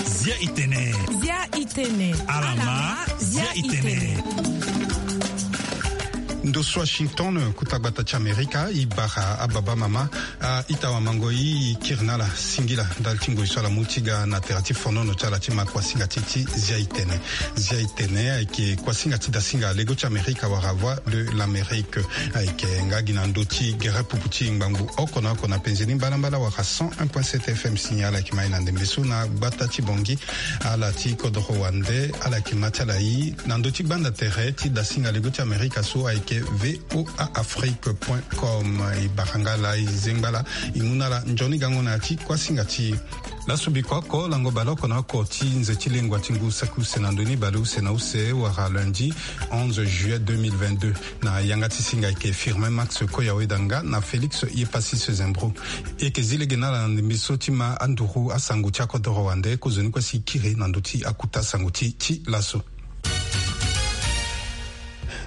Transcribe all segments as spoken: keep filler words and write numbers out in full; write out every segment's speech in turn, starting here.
Zia itene. Zia itene. Alama. Zia itene. Ndo so Washington, kuta gbata ti Amerika, i bara ababa mama, a ita wamango i kiri na ala singila ndali ti ngoi so ala mu ti ga na tere ti fonono ti ala ti ma kuasinga ti ti zia itene. Zia itene ayeke kuasinga ti dasinga lego ti Amerika wala Voix de l'Amérique. Ayeke nga gi na ndö ti gere pupu ti ngbangbu oko na oko na penze ni mbalambala wala cent un point sept F M. Signal ayeke ma e na ndembe so na gbata ti Bangui. Ala ti kodoro wande ala yeke ma ti ala i na ndö ti gbanda tere ti dasinga lego ti Amerika so ayeke V O A Afrique point com. E bara nga laa e zengba laa e mu na ala nzoni gango na ya ti kuasinga ti e. Laso biko oko lango bale oko na oko ti nze ti lengua ti ngu saki use na ndö ni bale use na use wala lundi onze juillet deux mille vingt-deux. Na yanga ti singa ayeke Firmin Max Koyaweda nga na Félix Yepassis Zembro. E yeke zi lege na ala na ndembe so ti ma anduru asango ti akodoro wande kozoni kue si e kiri na ndö ti akuta sango ti ti laso.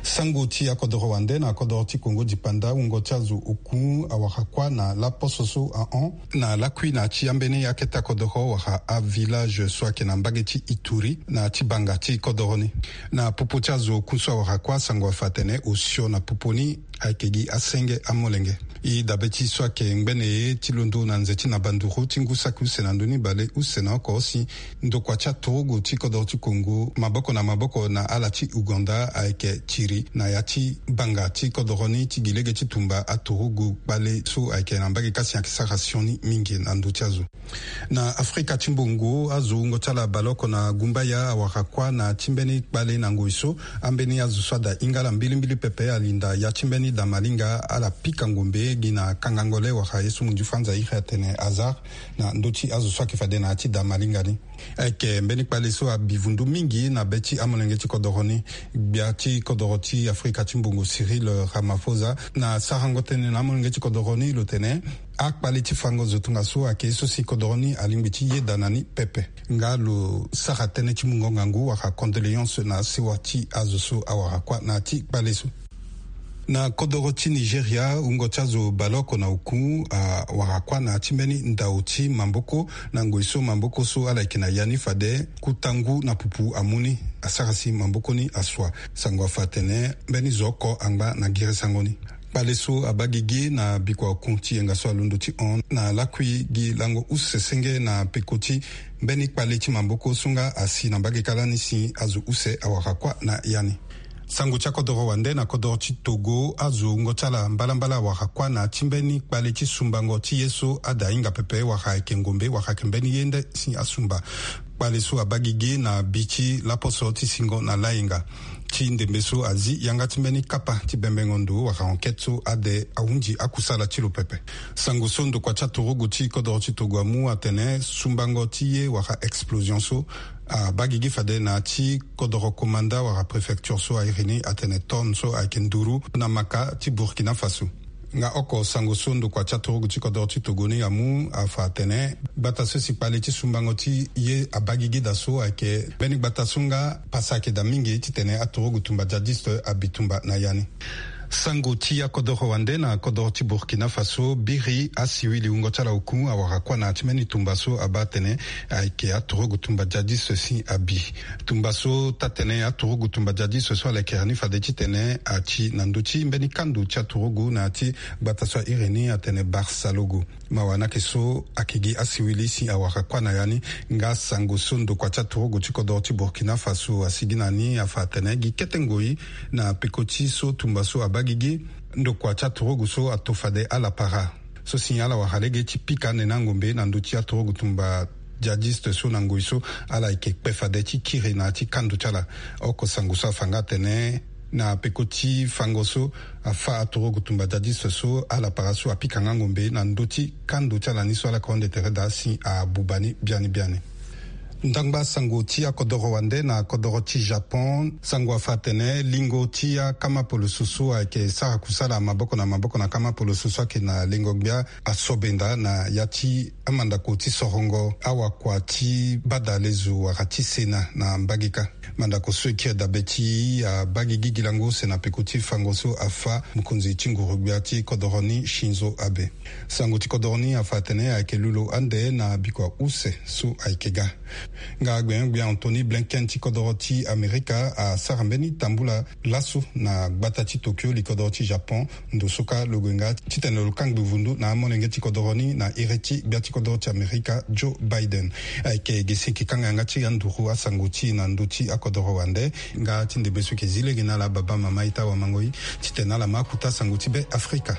Sango ti akodoro wande na akodoro ti Kongo dipanda, wungo ti azo oku awara kuâ na laposo so ahon na lakui na ya ti ambeni akete akodoro wala avillage so ayeke na mbage ti Ituri na ya ti banga ti kodoro ni. Na popo ti azo oku so awara kuâ, sango afa atene osio na popo ni ayeke gi asenge amolenge. E dabe ti so ayeke ngbene ye ti londo na nze ti na banduru ti ngu saki use na ndö ni bale use na oko si ndokua ti aturugu ti kodoro ti Kongo maboko na maboko na ala ti Ouganda ayeke tiri na ya ti banga ti kodoro ni ti gi lege ti tumba aturugu kpale so ayeke na mbage kasi ayeke sara sioni mingi na ndö ti azo. Na Afrika ti mbongo, azo wungo ti ala baleoko na gumbaya awara kuâ na ti mbeni kpale na ngoi so ambeni azo so ada hinga ala mbilimbili pepe alinda ya ti mbeni damalinga ala pika ngombe gi na kangango le wala ye so munzu franza iri atene hasard na ndö ti azo so ayeke fade na ya ti damalinga ni. Ayeke mbeni kpale so abi vundu mingi na be ti amolenge ti kodoro ni. Gbia ti kodoro ti Afrika ti mbongo Cyril Ramaphosa na sarango tënë na amolenge ti kodoro ni lo tene akpale ti fango zo tongaso ayeke ye so si kodoro ni alingbi ti yeda na ni pepe. Nga lo sara tënë ti mungo ngangu wala condoléance na sewa ti azo so awara kuâ na ya ti kpale so. Na kodoro ti Nigeria, wungo ti azo baleoko na oku awara kuâ na ya ti mbeni ndao ti maboko na ngoi so maboko so ala yeke na ya ni fade kuta ngu na pupu amu ni asara si maboko ni asua. Sango afa atene mbeni zo oko angba na girisango ni. Kpale so abaa gigi na bikua oku ti yenga so alondo ti hon na lakui gi lango use senge na peko ti mbeni kpale ti maboko so nga asi na mbage kâ lani si azo use awara kuâ na ya ni. Sango ti akodoro wande na kodoro ti Togo, azo wungo ti ala mbalambala awara kuâ na ya ti mbeni kpale ti sumbango ti ye so ada hinga pepe wala ayeke ngombe wala ayeke mbeni ye nde si asumba. Kpale so abaa gigi na bi ti laposo ti singo na layenga. Ti ndembe so azi yanga ti mbeni kapa ti bembengo ndo wala enquête so ade ahunzi akusala ti lo pepe. Sango so ndokua ti aturugu ti kodoro ti Togo amu atene sumbango ti ye wala explosion so abaa gigi fade na ya ti kodoro komanda wala préfecture so a iri ni atene Tonn so ayeke nduru na maka ti Burkina Faso. Nga oko sango so ndokua ti aturugu ti kodoro ti Togo ni amu afa atene gbata so si kpale ti sumbango ti ye abaa gigi daa so ayeke mbeni gbata so nga pasa ayeke daa mingi titene aturugu tumba djihadiste abi tumba na ya ni. Sango ti akodoro wande na kodoro ti Burkina Faso, biri asiwili wungo ti ala oku awara kuâ na ya ti mbeni tumba so abaa atene ayeke aturugu tumba djihadiste si abi. Tumba so taa-tënë aturugu tumba djihadiste so ala yeke ni fade titene ati na ndö ti mbeni kando ti aturugu na ya ti gbata so a iri ni atene Barsalogo. Mawa ni ayeke so ayeke gi asiwili si awara kuâ na ya ni. Nga sango so ndokua ti aturugu ti kodoro ti Burkina Faso asigi na ni afa atene gi kete ngoi na peko ti so tumba so abaa gigi, ndokua ti aturugu so ato fade ala para so si ala wara lege ti pika ande na angombe na ndö ti aturugu tumba djihadiste so na ngoi so ala yeke kpe fade ti kiri na ya ti kando ti ala. Oko sango so afa nga atene na peko ti fango so afa aturugu tumba djihadiste so ala para so apika nga ngombe na ndö ti kando ti ala ni so ala yeke hon ande tere daa si abuba ni biani biani. Ndangba sango ti akodoro wande na kodoro ti Japon, sango afa atene lingo ti akama poloso so ayeke sara kusala maboko na maboko na kama poloso so ayeke na lengo gbia asobenda na ya ti amandako ti sorongo awakua ti bada lezo wala ti sena na mbage kâ. Mandako so e kiri dabe ti abagi gigi lango use na peko ti fango so afa mokonzi ti nguru gbia ti kodoro ni Shinzo Abe. Sango ti kodoro ni afa atene ayeke lulo ande na bikua use so ayeke ga. Nga gbenyo-gbia Anthony Blinken ti kodoro ti Amerika asara mbeni tambula laso na gbata ti Tokyo li kodoro ti Japon, ndo so kâ lo gue nga titene lo kangbi vundu na amolenge ti kodoro ni na iri ti gbia ti kodoro ti Amerika Joe Biden. Ayeke ge si e yeke kanga yanga ti anduru asango ti e na ndö ti akodoro wande. Nga ti ndembe so e yeke zi lege na ala baba mama ita wamango-i titene ala ma akuta sango ti Be Afrika.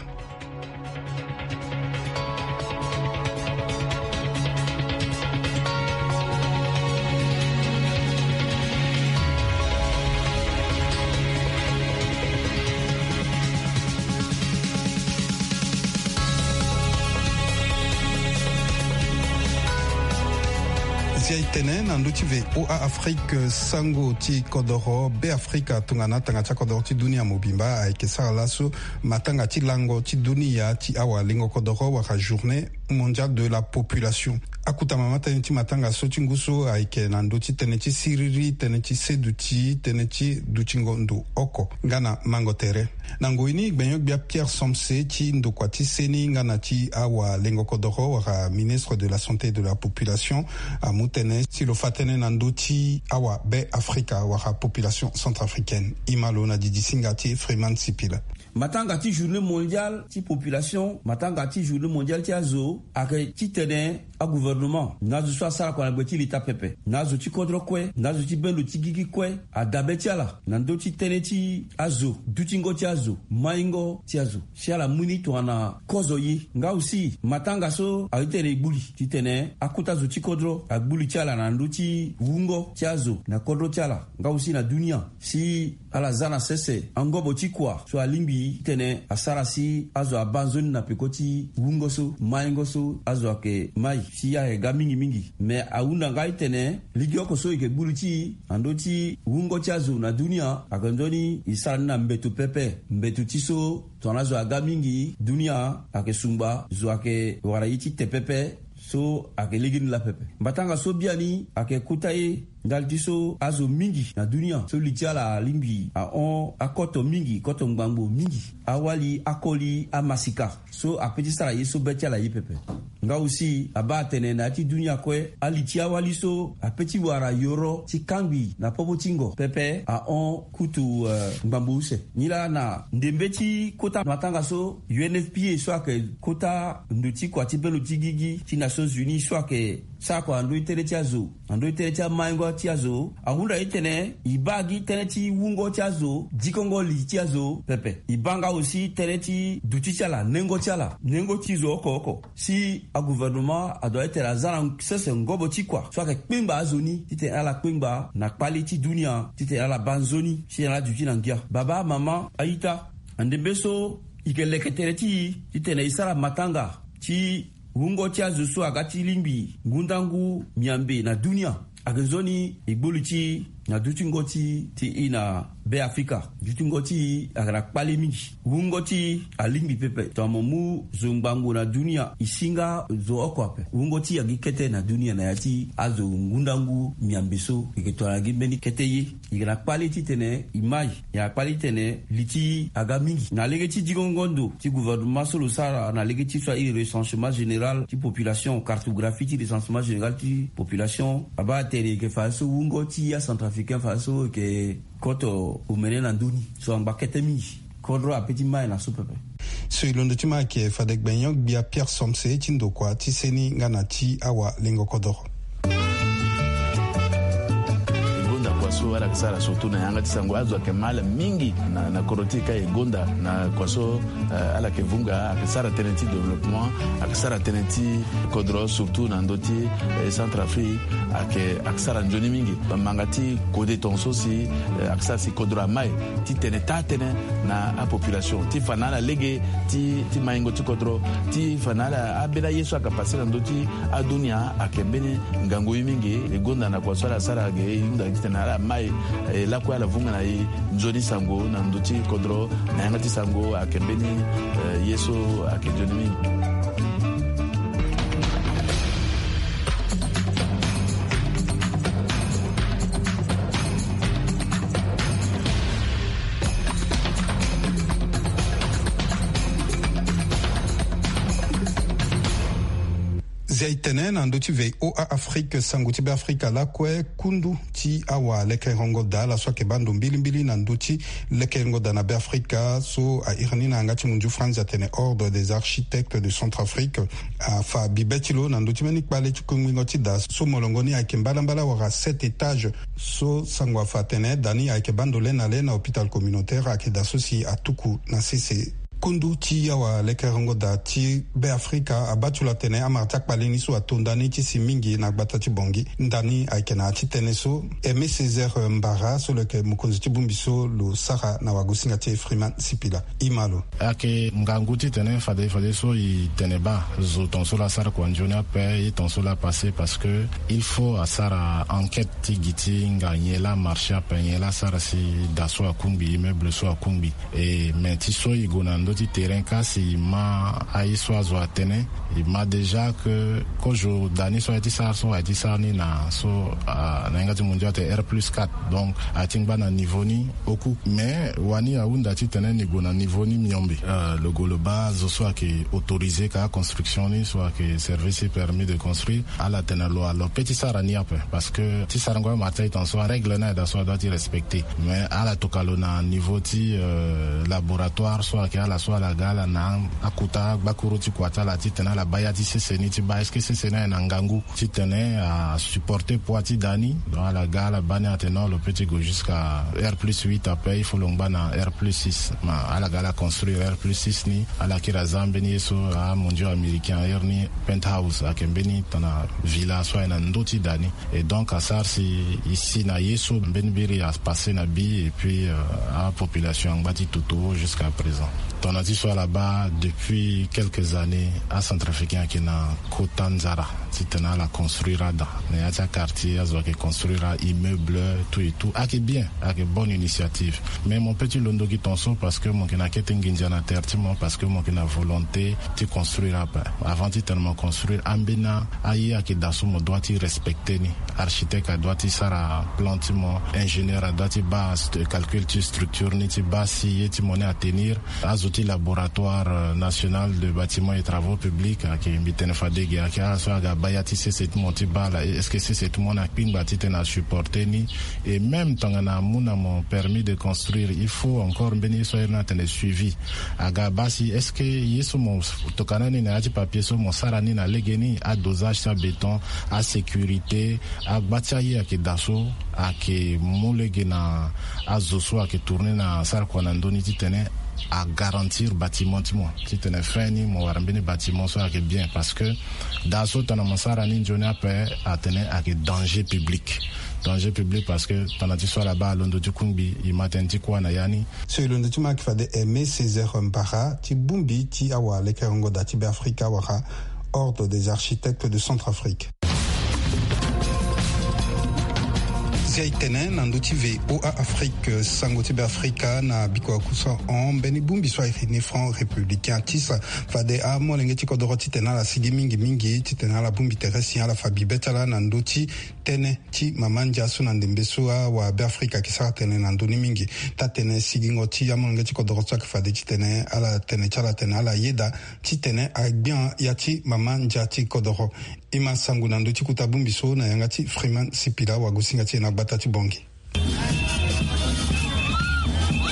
Zia e tene na ndö ti V O A Afrique, sango ti kodoro Be Afrika tongana atanga ti akodoro ti dunia mobimba ayeke sara laso matanga ti lango ti dunia ti awalengo kodoro wala journée mondiale de la population. Akota mama tënë ti matanga so ti ngu so ayeke na ndö ti tënë ti siriri, tënë ti seduti, tënë ti dutingo ndo oko nga na mango tere. Na ngoi ni gbenyo-gbia Pierre Somse ti ndokua ti seni nga na ti awalengo kodoro wala ministre de la santé et de la population amu tënë si lo fa tënë na ndö ti awabe Afrika wala population centrafricaine. E ma lo na didi singa ti Freeman Sipila. Matanga ti journée mondiale ti population, matanga ti journée mondiale ti azo ayeke titene agouvernement na azo so asara kua na gbe ti leta pepe, na azo ti kodro kue, na azo ti bendo ti gigi kue, adabe ti ala na ndö ti tënë ti azo, dutingo ti azo, maingo ti azo, si ala mu ni tongana kozo ye. Nga aussi matanga so aye titene e gbu li titene akota zo ti kodro agbu li ti ala na ndö ti wungo ti azo na kodro ti ala, nga aussi na dunia, si ala za na sese angobo ti kua so alingbi titene asara si azo abaa nzoni na peko ti wungo so, maingo so azo ayeke mai, si ayeke ga mingi mingi. Me ahunda nga titene lege oko so e yeke gbu li ti e na ndö ti wungo ti azo na dunia ayeke nzoni e sara ni na mbeto pepe. Mbeto ti so tongana azo aga mingi, dunia ayeke sungba, zo ayeke wara ye ti te pepe. So ayeke legeni laa pepe. Mbatanga so biani ayeke kota ye ndali ti so azo mingi na dunia so li ti ala alingbi ahon akoto mingi, koto ngbangbo mingi, awali akoli amasika so ape ti sara ye so be ti ala ye pepe. Nga aussi abaa atene na ya ti dunia kue, ali ti awali so ape ti wara yoro ti kangbi na popo ti ngo pepe ahon kutu, eh, ngbangbo use. Nilaa na ndembe ti kota matanga so U N F P A so ayeke kota ndo ti kua ti bendo ti gigi ti Nations Unies so ayeke sara kua na ndö ti tënë ti azo, na ndö ti tënë ti amaingo ti azo, ahunda ye titene e baa gi tënë ti wungo ti azo, dikongo li ti azo pepe. E baa nga aussi tënë ti duti ti ala, nengo ti ala, nengo ti zo oko oko. Si agouvernement adoit titene aza na sese ngobo ti kua so ayeke kpengba azo ni titene ala kpengba na kpale ti dunia titene ala baa nzoni si ala duti na ngia. Baba, mama, a-ita, na ndembe so e yeke leke tere ti e titene e sara matanga ti wungo ti azo so aga ti lingbi ngundangu miambe na dunia. Ayeke nzoni e gbu li ti e na dutingo ti e na Be Afrika. Dutingo ti e ayeke na kpale mingi. Wungo ti e alingbi pepe. Tongana mo mu zo ngbangbo na dunia, e si nga zo oko ape. Wungo ti e agi kete na dunia na ya ti azo ngundangu miambe so. E yeke tongana gi mbeni kete ye. E yeke na kpale titene e mai. E na kpale titene li ti e aga mingi. Na lege ti dikongo ndo ti gouvernement so lo sara na lege ti so airi recensement général ti population, cartographie ti recensement général ti population, abaa atene e yeke fadeso wungo ti acentrafricain fadeso e yeke koto omene na ndö ni so angba kete mingi. Kodro ape ti mai na so pepe. So e londo ti ma ayeke fade gbenyo-gbia Pierre Somse ti ndokua ti seni nga na ti awalengo kodoro. E gonda kua so ala Sara surtout na yanga ti sango azo ayeke mal mingi na, na kodro ti e ka e gonda na kua so, eh, ala yeke vunga, ayeke sara tënë ti développement, ayeke sara tënë ti kodro surtout na ndö ti, eh, Centrafrique, ayeke, ayeke sara nzoni mingi. Manga ti kode tongaso si, eh, ayeke sara si kodro amai titene taa tënë na apopulation ti fa na ala lege ti, ti maingo ti kodro, ti fa na ala ambeni aye so ayeke pase na ndö ti adunia ayeke mbeni ngangu ye mingi. E gonda na kua so ala sara ge e hunda titene ala mai, eh, lakue ala vunga na e nzoni sango na ndö ti kodro na yanga ti sango ayeke mbeni, eh, ye so ayeke nzoni mingi. Zia e tene na ndö ti V O A Afrique, sango ti Beafrika lakue, kundu ti awalekerengo daa ala so ayeke baa ndo mbilimbili na ndö ti lekerengo daa na Beafrika so a iri ni na yanga ti munzu France atene Ordre des Architectes de Centrafrique afa bibe ti lo na ndö ti mbeni kpale ti kungbingo ti daa so molongo ni ayeke mbalambala wala sept étages. So sango afa atene daa ni ayeke baa ndo le na le na hôpital communautaire ayeke daa so si atuku na sese. Kundu ti awalekerengo daa ti Beafrika abaa ti lo atene amara ti akpale ni so ato nda ni ti si mingi na gbata ti Bangui. Nda ni ayeke na ya ti tënë so Aimé Césaire Mbara so lo yeke mokonzi ti bongbi so lo sara na wagosinga ti e Freeman Sipila. E ma lo. Ayeke ngangu titene fade fadeso e tene baa zo tongaso laa asara kua nzoni ape, ye tongaso laa apassé, parce que il faut asara enquête ti gi ti hinga nyen laa amarché ape, nyen laa asara si daa so akungbi, immeuble so akungbi. E, mais ti so e gue na ndö ti terrain ka si e ma aye so azo atene, e ma déjà que kozo daa ni so aye ti sara so aye ti sara ni na so, ah, na yanga ti mondial atene R plus quatre. Donc aye ti ngba na niveau ni oku. Mais wani ahunda titene ni gue na niveau ni miombe. Euh, lo gue lo baa zo so ayeke autorisé ka construction ni, so ayeke service permis de construire, ala tene lo, lo peut ti sara ni ape. Parce que ti sarango amara ti aye tongaso arègle ni aye daa so adoit ti respecté. Mais ala tokua lo na niveau ti, euh, laboratoire so ayeke ala so ala ga ala na akota gbakuru ti kua ti ala titene ala baa ya ti sese ni ti baa est-ce que sese ni aye na ngangu titene asupporté poids ti daa ni. Donc ala ga ala baa ni atene non, lo peut ti gue jusqu'à R plus huit ape, il faut lo ngba na R plus six. Ma ala ga ala construire R plus six ni, ala kiri aza mbeni ye so amondio américain airi ni penthouse, ayeke mbeni tana villa so aye na ndö ti daa ni. Et donc asara si e si na ye so mbeni biri apassé na bi, et puis, euh, apopulation angba ti toto jusqu'à présent. Tongana ti so ala baa depuis quelques années acentrafricain ayeke na kota nzara titene ala construire ada na ya ti aquartier, azo ayeke construire aimmeuble, tout et tout, ayeke bien, ayeke bonne initiative. Mais mo peut ti londo gi tongaso parce que mo yeke na kete nginza na terre ti mo, parce que mo yeke na volonté ti construire ape. Avant titene mo construire, ambeni aye ayeke daa so mo doit ti respecté ni. Architecte adoit ti sara plan ti mo, ingénieur adoit ti baa st-, calcul ti structure ni ti baa si ye ti mo ni atenir. Azo ti laboratoire, euh, national de bâtiment et travaux publics ayeke, mbi tene fade ge, ayeke ala so aga baa ya ti sese ti mo ti baa ala est-ce que sese ti mo ni akpingba titene asupporté ni. Et même tongana amu na mo permis de construire, il faut encore mbeni ye so airi ni atene suivi. Aga baa si est-ce que ye so mo tokua na ni na ya ti papier so mo sara ni na legeni, adosage ti abéton, asécurité, agba ti aye ayeke daa so ayeke mu lege na azo so ayeke tourné na sara kua na ndö ni titene agarantir bâtiment ti mo titene fin ni mo wara mbeni bâtiment so ayeke bien. Parce que daa so tongana mo sara ni nzoni ape atene ayeke danger public. Danger public parce que tongana ti so ala baa alondo ti kungbi, e ma tënë ti kuâ na ya ni. So e londo ti mo ayeke fade Aimé Césaire Mbara ti bongbi ti awalekerengo daa ti Beafrika wala Ordre des Architectes de Centrafrique. Si aye tene na ndö ti V O A Afrique, sango ti Beafrika na bikua kusa hon mbeni bongbi so aye ni Front Républicain atisa fade amolenge ti kodoro titene ala sigi mingi mingi titene ala bongbi tere si ala fa bibe ti ala na ndö ti tënë ti mama ndia so na ndembe so awa Beafrika ayeke sara tënë na ndö ni mingi. Taa-tënë sigingo ti amolenge ti kodoro so ayeke fade titene ala tene ti ala tene ala yeda titene agbia ya ti mama ndia ti kodoro. E ma sango na ndö ti kota bongbi so na yanga ti Freeman Sipila wagosinga ti e na gbata ti Bangui.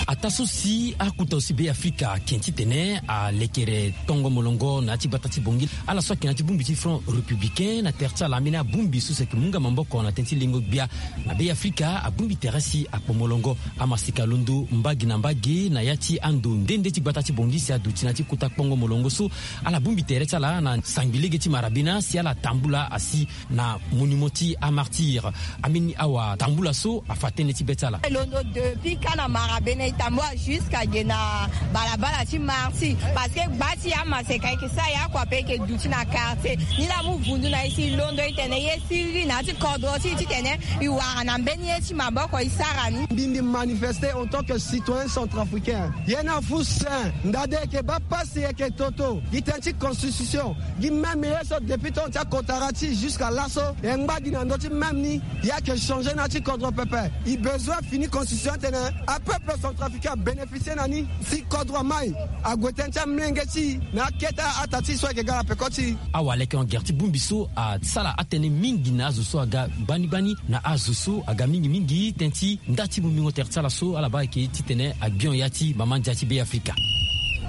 A Taa so si akuta so si Be Afrika ake titene alekere kpongo molongo na ya ti gbata ti Bangui, ala so ake na ya ti bongbi ti Front Républicain na tere ti ala ambeni abongbi so si ake mu nga maboko na tënë ti lengo gbia na Be Afrika abongbi tere si akpo molongo. Amaseka alondo mbage na mbage na ya ti ando nde nde ti gbata ti Bangui si aduti na ya ti kota kpongo molongo so. Ala bongbi tere ti ala na sangbi lege ti marabena si ala tambula asi na monument ti amartyr. Ambeni awa tambula so afa tënë ti be ti ala. E londo depuis ka na marabena e tambula jusqu'à ge na balabala ti martyr, parce que gba ti amaseka e ke sara ya kua pe e ke duti na quartier ni laa mu vundu na e si e londo e tene ye siriri na ya ti kodro ti e titene e wara na mbeni ye ti maboko e sara ni. Mbi mbi manifester en tant que citoyen centrafricain. Ye na fu sen ndade e ke baa pasi e ke toto gi tënë ti constitution. Gi même ye so depuis temps ti akotara ti jusqu'à laso e ngba gi na ndö ti même ni. Ya ke changer na ti kodro pepe. I besoin fini constitution tene apeuple centrafricain abénéficier na ni. Si kodro amai ague tënë ti amlenge ti i na akete ata ti i so ayeke ga na peko ti i. Awa aleke en guerre ti bongbi so asara atënë mingi na azo so aga gbani gbani na azo so aga mingi mingi tënë ti nda ti bongbingo tere ti ala so ala baa ayeke titene agbion ya ti mama ndia ti Be Afrika.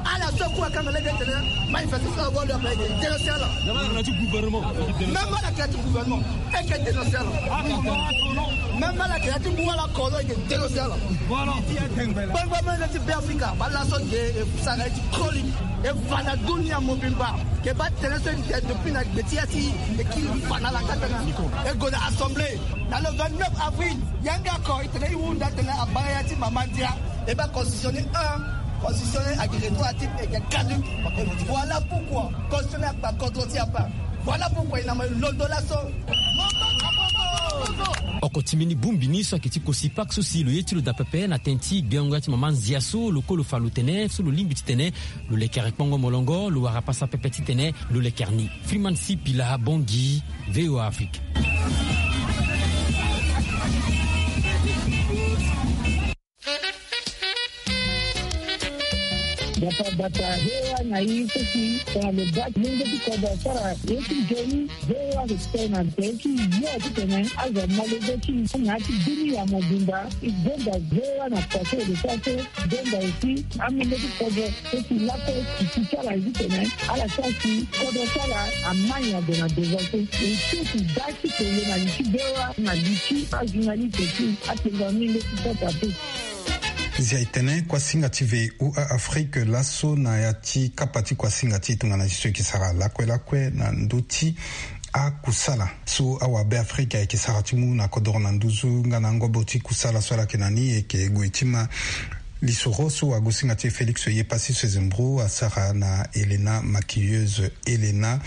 Ala so kue akanga lege tene manifestation ago lo ayeke dénoncer ala. Même ala ke ya ti gouvernement e ke dénoncer ala. Même ala ke ya ti ngu ala kolo e ke dénoncer ala. Gbangba mene ti Be Afrika ba laso ge e sara ye ti chronique e fa na dunia mobimba. Ke ba tene so e ke depuis na gbe ti ya ti e kiri fa na ala kata na e gue na assemblée na le vingt-neuf avril. Yanga ako e tene e hunda tene abaa ya ti mama ndia. E baa constitution ni un, constitution ni agi retour à titre e ke caduc. Voilà pourquoi constitution ni akpa kodro ti apa. Voilà pourquoi e na mo e londo laso. Oko ti mbeni bongbi ni so ayeke ti kosi pake so si lo ye ti lo daa pepe na tënë ti gbengo ya ti mama ndia so lo kue lo fa lo tene so lo lingbi titene lo lekere kpongo molongo lo wara pasa pepe titene lo lekere ni. Freeman Sipila Bangui, VOA Afrique. Gbata gbata he wa na i so si tongana lo baa ti lenge ti kodro asara ye ti nzoni. He wa respect na nze ti yo titene azo amolenge ti i na ya ti bini ya mobimba. I gbenda he wa na kua so e lo sara so. Gbenda aussi amolenge ti kodro so si lakue ti ti ti ala ye titene ala sara si kodro ti ala amai ade na devant so. E so si baa ti tene na li ti he wa na li ti ajournaliste ti atengo amolenge ti kota pe. Zia e tene kuasinga ti V O A Afrique laso na ya ti kapa ti kuasinga ti e tongana ti so e yeke sara lakue lakue na ndö ti akusala so awabe Afrika e yeke sara ti mu na kodoro na nduzu nga na ngobo ti kusala so ala yeke na ni e yeke gue ti ma lisoro so agosinga ti e Félix Yepasi Sezembro asara na Helena maquilleuse. Helena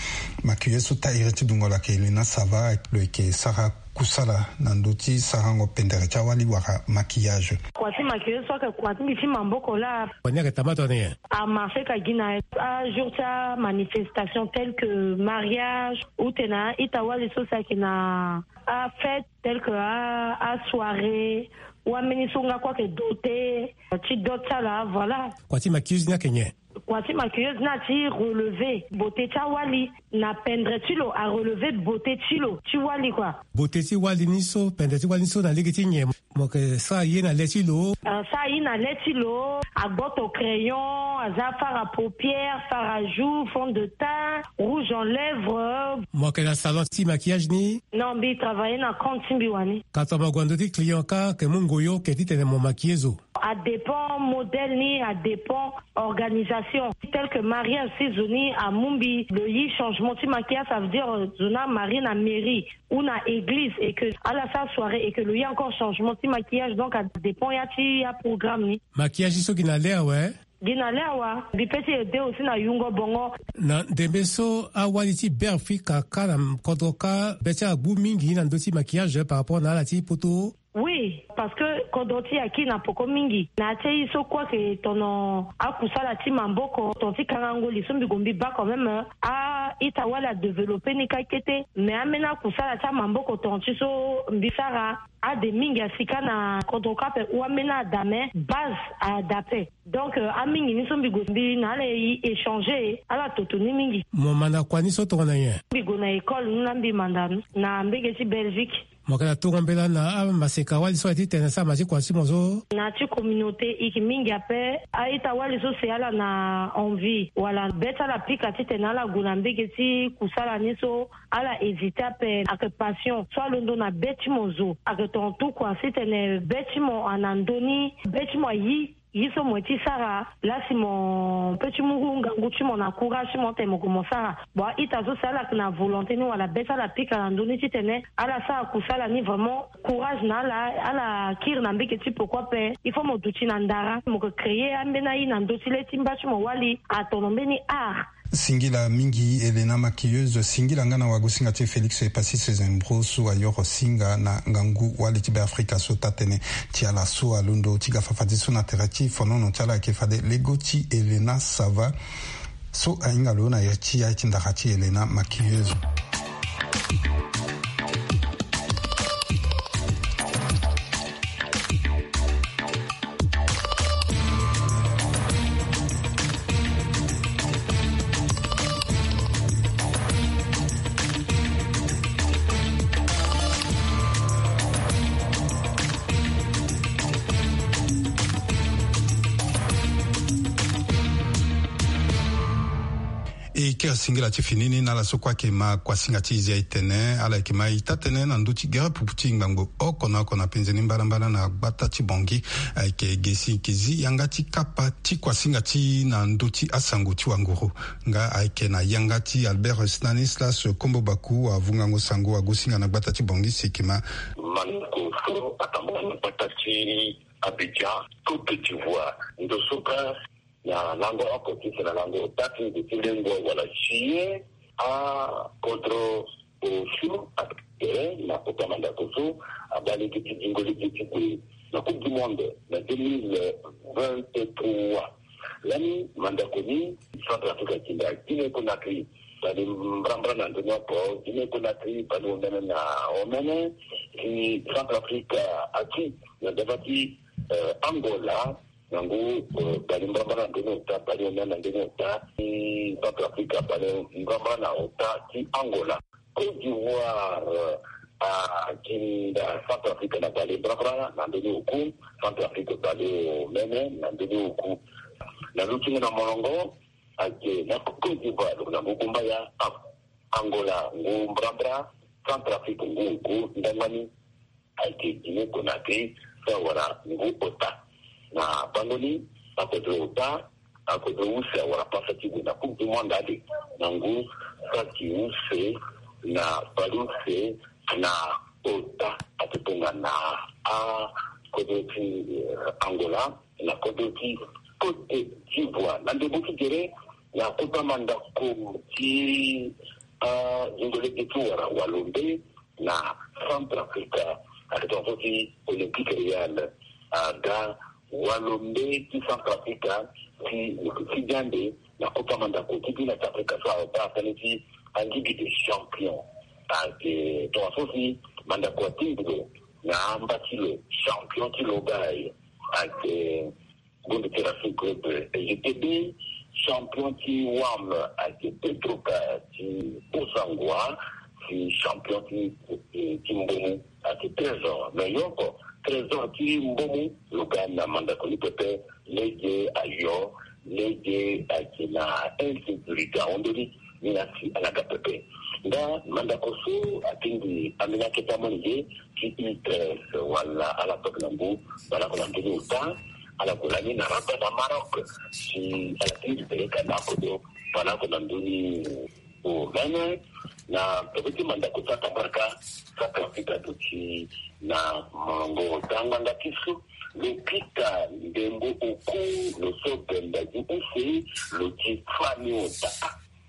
maquilleuse so taire ti dungo lo ayeke Helena Sava lo yeke sara kusala na ndö ti sarango pendere ti awali wala maquillage. Kua ti maquillage so ayeke kua ti mbi ti maboko laa. Kua ni ayeke tamata na nyen? Amarché ka gi na ajour ti amanifestation tel que mariage ou tena ita wali so si ayeke na afête tel que a asoirée ou ambeni so nga kue ayeke doté ti dot ti ala voilà. Kua ti maquilleuse ni ayeke nyen? Kua ti maquilleuse ni ati relever beauté ti awali na pendre ti lo arelever beauté ti lo ti wali kua. Beauté ti wali ni so pendre ti wali ni so na lege ti nyen? Mo yeke sara ye na le ti lo. Asara ye na le ti lo agboto crayon aza fard à paupière, fard à joues, fond de teint, rouge en lèvres. Mo yeke na salon ti maquillage ni? Non, mbi travailler na compte ti mbi wani. Ka tongana mo gue na ndö ti client ka yeke mu ngoyo ke titene mo maquiller zo? Adépend modèle ni, adépend organisation. Tel que mariage si zo ni amu mbi lo yi changement ti maquillage, ça veut dire zo ni amarie na mairie ou na église et que ala sara soirée et que lo yi encore changement ti maquillage, donc adépend ya ti aprogramme ni. Maquillage so gi na le awe? Gi na le awa. Mbi pe ti aide aussi na yungo bongo. Na ndembe so awali ti Be Afrika ka na kodro ka be ti ala gbu mingi na ndö ti maquillage par rapport na ala ti poto. Oui, parce que kodro ti e aki na poko mingi na ya ti aye so kue ayeke tono akusala ti maboko, ton ti kangango li so mbi gue mbi baa quand même a-ita wali adévelopper ni kâ kete. Mais ambeni akusala ti amaboko ton ti so mbi sara ade mingi asi kâ na kodro kâ ape ou ambeni ada mais base ada ape. Donc amingi ni so mbi gue mbi na ala e échanger ala toto ni mingi. Mo manda kua ni so tongana nyen? Mbi gue na école ni laa mbi manda ni na mbege ti Belgique. Mo yeke na tungo mbela na amaseka wali so aye titene asara ma ti kua ti mo so. Na ti communauté ike mingi ape. A-ita wali so si ala na envie wala be ti ala pika titene ala gue na mbege ti kusala ni so, ala hésiter ape. Ayeke passion so alondo na be ti mo zo. Ayeke tonga tout kua titene be ti mo ana ndö ni, be ti mo ayi ye so mo ye ti sara. Laa si mo pe ti mu ngangu ti mo na courage ti mo tene mo gue mo sara. Bon, a-ita so si ala yeke na volonté ni wala be ti ala pika na ndö ni titene ala sara kusala ni, vraiment courage na ala. Ala kiri na mbege ti peko ape. Il faut mo duti na ndara, mo yeke créer ambeni aye na ndö ti le ti mba ti mo wali atono mbeni art. Singila mingi Helena Maquilleuse, singila nga na wagosinga ti e Félix Epassis Sezembro so ayoro singa na ngangu wali ti Beafrika so taa-tënë ti ala so alondo ti ga fafadeso na tere ti fonono ti ala ayeke fade lego ti Helena Sava so ahinga lo na ya ti ya ti ndara ti Helena Maquilleuse. E kiri singila ti fini ni na ala so kue ayeke ma kuasinga ti e zi aye tene ala yeke ma e taa-tënë na ndö ti gere pupu ti ngbangbo oko na oko na penze ni mbalambala na gbata ti Bangui. Ayeke ge si e yeke zi yanga ti kapa ti kuasinga ti e na ndö ti asango ti wanguru. Nga ayeke na yanga ti Albert Stanislas Kombo Baku, avungango sango, agosinga na gbata ti Bangui si e yeke ma. Mandako so atambula na gbata ti Abidjan, Côte d'Ivoire, ndo so kâ na lango oko ti tene na lango ota ti nze ti lengo wala juillet, akodro osio atere na kota mandako so abaa lege ti zingo lege ti gue na Coupe du Monde na deux mille vingt-trois. Lani mandako ni, Centrafrique atinda Guinée Conakry bale mbrambra na ndoni oko, Guinée Conakry bale omene na omene, si Centrafrique ati na dava ti, eh, Angola na ngu, eh, bale mbrambra na ndoni ota, bale omene na ndoni ota, si Centrafrique bale mbrambra na ota ti Angola. Côte d'Ivoire, eh, atinda Centrafrique na bale mbrambra na ndoni oku, Centrafrique bale omene na ndoni oku. Na lutingo na molongo, ayeke na Côte d'Ivoire lo na ngu gumbaya, Angola ngu mbrambra, Centrafrique ngu oku, ndangba ni ayeke Guinée Conakry so awara ngu ota. Na bango ni, akodro ota, akodro use awara pasa ti gue na Coupe du Monde ade na ngu saki use na bale use na ota. Ake tongana akodro ti, eh, Angola na kodro ti Côte d'Ivoire. Na ndembo ti gere, na kota mandako ti, ah, zingo lege ti wara walombe na Centrafrique, ake tongana so ti Olympique Real aga walombe ti Centrafrique ti, ti diande na kota mandako ti bi na ti Afrika so abaa tënë ti Ligue des Champions. Ake tongana so si mandako atingbi lo na amba ti lo, champion ti lo baa. Ake Gondo ti Racing Club, eh, G T B, champion ti wam ayeke Petroca ti Bossangoa, si champion ti, eh, ti Mbomou ayeke Trésor. Mais yo oko, Trésor ti Mbomou, lo ga na mandako ni pepe, lege ayo, lege ayeke na insécurité ahon ndoni. Ni na si ala ga pepe. Nga mandako so atingbi ambeni akete amolenge ti U treize wala ala toke na ngu baleoko na ndoni ota, ala gue lani na Rabat na Maroc, si ala tingbi peleka na akodo baleoko na ndoni omene. Na peko ti mandako so atambaraka, so atambaraka duti na molongo ota ngbanga ti so, lo pika ndembo oku, lo so benda gi use, lo ti fani ota.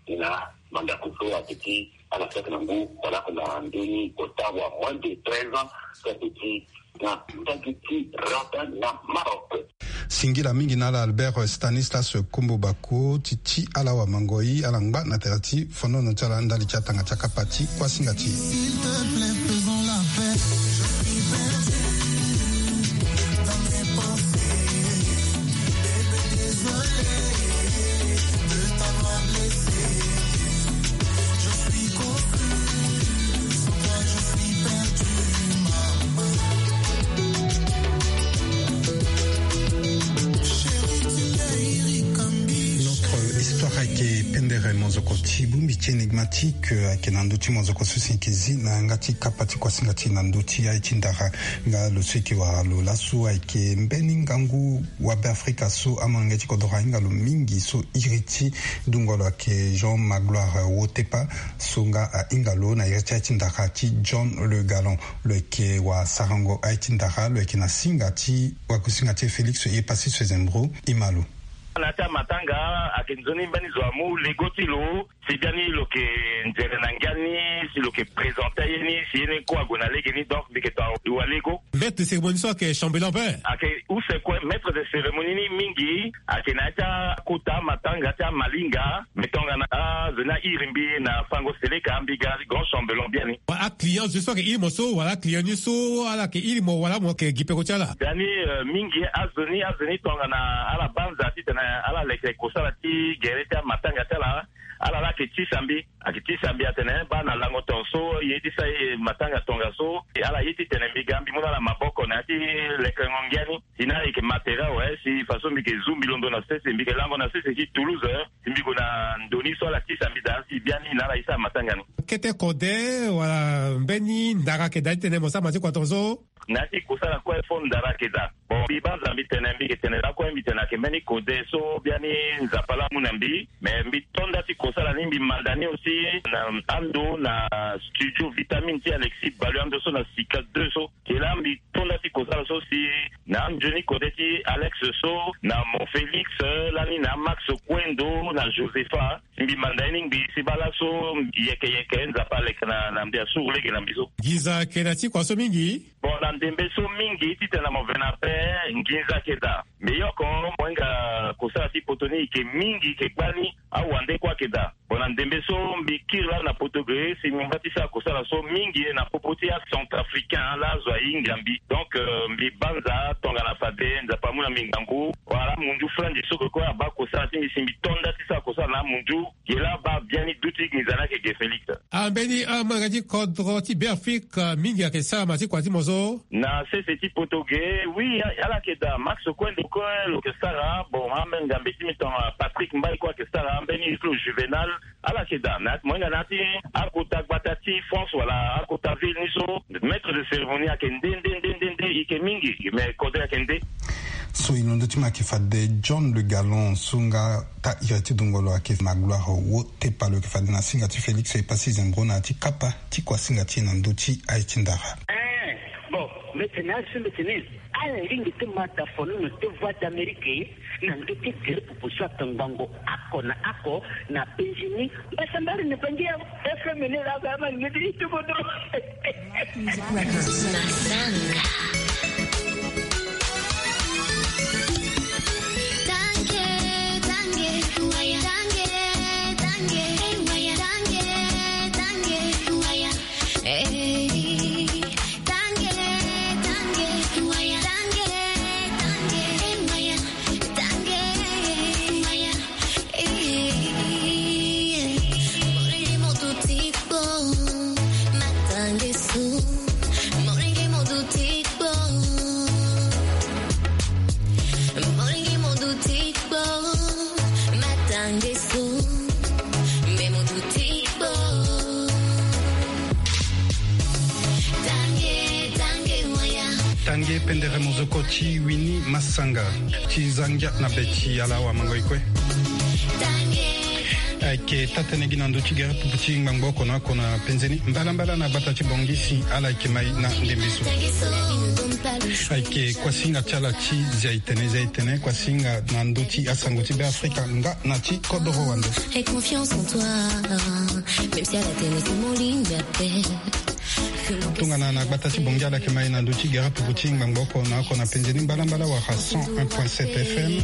Na mandako so ayeke ti ala saki na ngu baleoko na ndoni ota wa moins de treize ans, so ayeke ti na ndagi ti Rabat na Maroc. Singila mingi na ala Albert Stanislas Kombo Bako ti ti ala wamangoi ala ngba na tere ti fonono ti ala ndali ti atanga ti akapa ti kuasinga ti e. S'il te plaît, faisons la paix. Je suis perdu dans mes pensées. Bébé, désolé de t'avoir blessé. Je suis confus, sans toi, je suis perdu. Ti bongbi ti énigmatique, euh, ayeke na ndö ti mozoko so si yeke zi na yanga ti kapa ti kuasinga ti e na ndö ti aye ti ndara. Nga lo so yeke wara lo laso ayeke mbeni ngangu wabe afrika so amolenge ti kodoro ahinga lo mingi so iri ti dungo lo ayeke Jean Magloire Wotepa, so nga ahinga lo na iri ti aye ti ndara ti John Le Galant. Lo yeke wasarango aye ti ndara, lo yeke na singa ti wakusinga ti e Félix Epassi Swezembro. Ima lo. Na ya ti amatanga ayeke nzoni mbeni zo amu lego ti lo, si biani lo yeke nzere na ngia ni, si lo yeke présenter aye ni, si ye ni kue ague na lege ni, donc mbi yeke to wali lego. Maître de cérémonie so ayeke chambellan ape? Ayeke use kue, maître de cérémonie ni mingi ayeke na ya ti akota amatanga ti amalinga. Mais tongana azo ni airi mbi na fango seleka, mbi ga grand chambellan biani. Wala aclient zo so ayeke iri mo so, wala aclient ni so ala yeke iri mo, wala mo yeke gi peko ti ala? Biani, euh, mingi azo ni, azo ni tongana ala banza titene ala leke kosala ti gere ti amatanga ti ala, ala la ayeke tisa mbi. Ayeke tisa mbi atene baa na lango tongaso, ye ti sa ye matanga tongaso, ala ye titene mbi ga mbi mu na ala maboko na ya ti lekerengo ngia ni. Si na ala yeke matera awe, si faso mbi yeke zu mbi londo na sese, mbi yeke lango na sese ti Toulouse, si mbi gue na ndo ni so ala tisa mbi daa, si biani na ala ye sara matanga ni. Kete kode wala mbeni ndara ayeke daa titene mo sara ma ti kua tongaso? Na ya ti kosala kue fo ndara ayeke daa. Bon, mbi banza mbi tene, mbi yeke tene lakue, mbi tene ayeke mbeni kode so biani Nzapa laa amu na mbi. Mais mbi to nda ti kosala ni, mbi manda ni aussi na ando na studio Vitamine ti Alexis Balu, ando so na Sika deux so. Ke laa mbi to nda ti kosala so si na anzoni kode ti Alex so, na Mon Félix, lani na Max Kwendo, na Josepha. Si mbi manda ye ni ngbii, si baa laso yeke yeke Nzapa aleke na, na mbi, asuru lege na mbi so. Nginza ayeke na ti kua so mingi? Bon, na ndembe so mingi, titene mo ve na ape, nginza ayeke daa. Mbi yoko, mo hinga kosala ti poto ni, e yeke mingi, e yeke gbani, awande kue ayeke daa. Bon, na ndembe so mbi kiri laa na poto ge, si mbi ngba ti sara kosala so mingi na popo ti acentrafricain laa azo ahinga mbi. Donc, euh, mbi banza tongana fade Nzapa amu na mbi ngangu. Wala amunzu flanzi so kue abaa kosala ti mbi, si mbi to nda ti sara kosala na amunzu. Ge laa abaa biani duti nginza ni ayeke ge Félix. Ambeni amolenge ti kodro ti Beafrika mingi ayeke sara ma ti kua ti mo so? Na sese ti poto ge, oui, ala yeke daa. Max Kwendo kue lo yeke sara. Bon, ambeni ngambe ti mbi tongana Patrick Mbaye kue ayeke sara. Ambeni Flo Juvenal, ala yeke daa. Na, mo hinga na ya ti akota gbata ti France wala akota ville ni so, maître de cérémonie ayeke nde, nde, nde, nde, nde, e yeke mingi, mais kode ayeke nde. So e londo ti mo ayeke fade John Le Galant so nga taa iri ti dungo lo ayeke Magloire Wotepa, lo yeke fade na singa ti Félix Epassi Zembro na ya ti kapa ti kuasinga ti e na ndö ti aye ti ndara. Eh, bon, mbi tene aye so mbi tene, ala lingbi ti ma da fonono ti Voix d'Amérique na ndö ti gere pupu so ayeke ngbongo oko na oko na penzi ni. Mbasambara ni bangi ya F M ni laa, ama ni ti kodro. Tange pendere mozoko ti Winnie Massanga. Ti za ngia na be ti ala awamango e kue. Ayeke taa-tënë gi na ndö ti gere pupu ti ngbangbo oko na oko na penze ni. Mbalambala na gbata ti Bangui si ala yeke mai na ndembe so. Ayeke kuasinga ti ala ti zia e tene, zia e tene, kuasinga na ndö ti asango ti Beafrika nga na ti kodoro wande. Tongana na gbata ti Bangui ala yeke mai na ndö ti gere pupu ti ngbangbo oko na oko na penze ni mbalambala wala cent un point sept F M.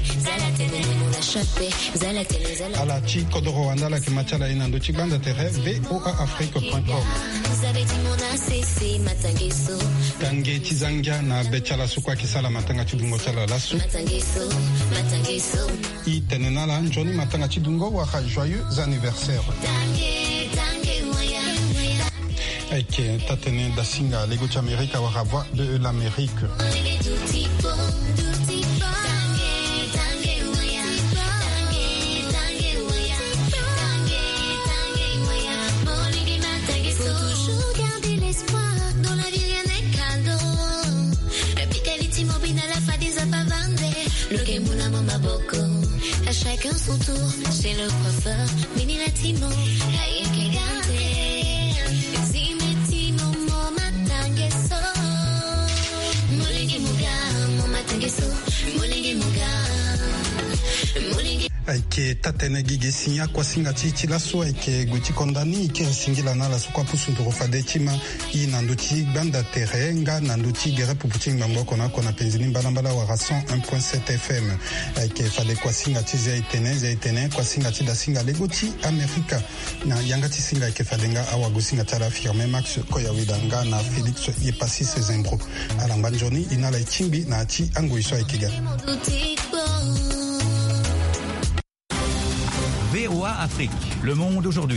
Ala ti kodoro wande ala yeke ma ti ala ye na ndö ti gbanza tere V O A Afrique point com. Tange ti za ngia na be ti ala so kue ayeke sara matanga ti dungo ti ala laso. E tene na ala nzoni matanga ti dungo wala joyeux anniversaire. Ayeke taa-tënë dasinga lego ti Amerika wala Voix de l'Amérique. Qu'un son tour chez le coiffeur, mini la timo, ayeke gande. Zime timo mo matangeso. Molenge moga, mo matangeso. Molenge moga. Molenge. Ayeke tatene gi ge si ni akuasinga ti e ti laso ayeke gue ti konda ni e kiri singila na ala so kue apusu nduru fade ti ma. I na ndö ti gbanda tere nga na ndö ti gere pupu ti ngbangbo oko na oko na penzi ni mbalambala wala cent un point sept F M. Ayeke fade kuasinga ti Zia Etene, Zia Etene, kuasinga ti dasinga lego ti Amerika. Na yanga ti singa ayeke fade nga awagosinga ti ala Firmin Max Koyaweda nga na Félix Yepasis Zembro. Ala ngba nzoni e na ala e tingbi na ya ti angoi so ayeke ga. V O A Afrique, le monde aujourd'hui.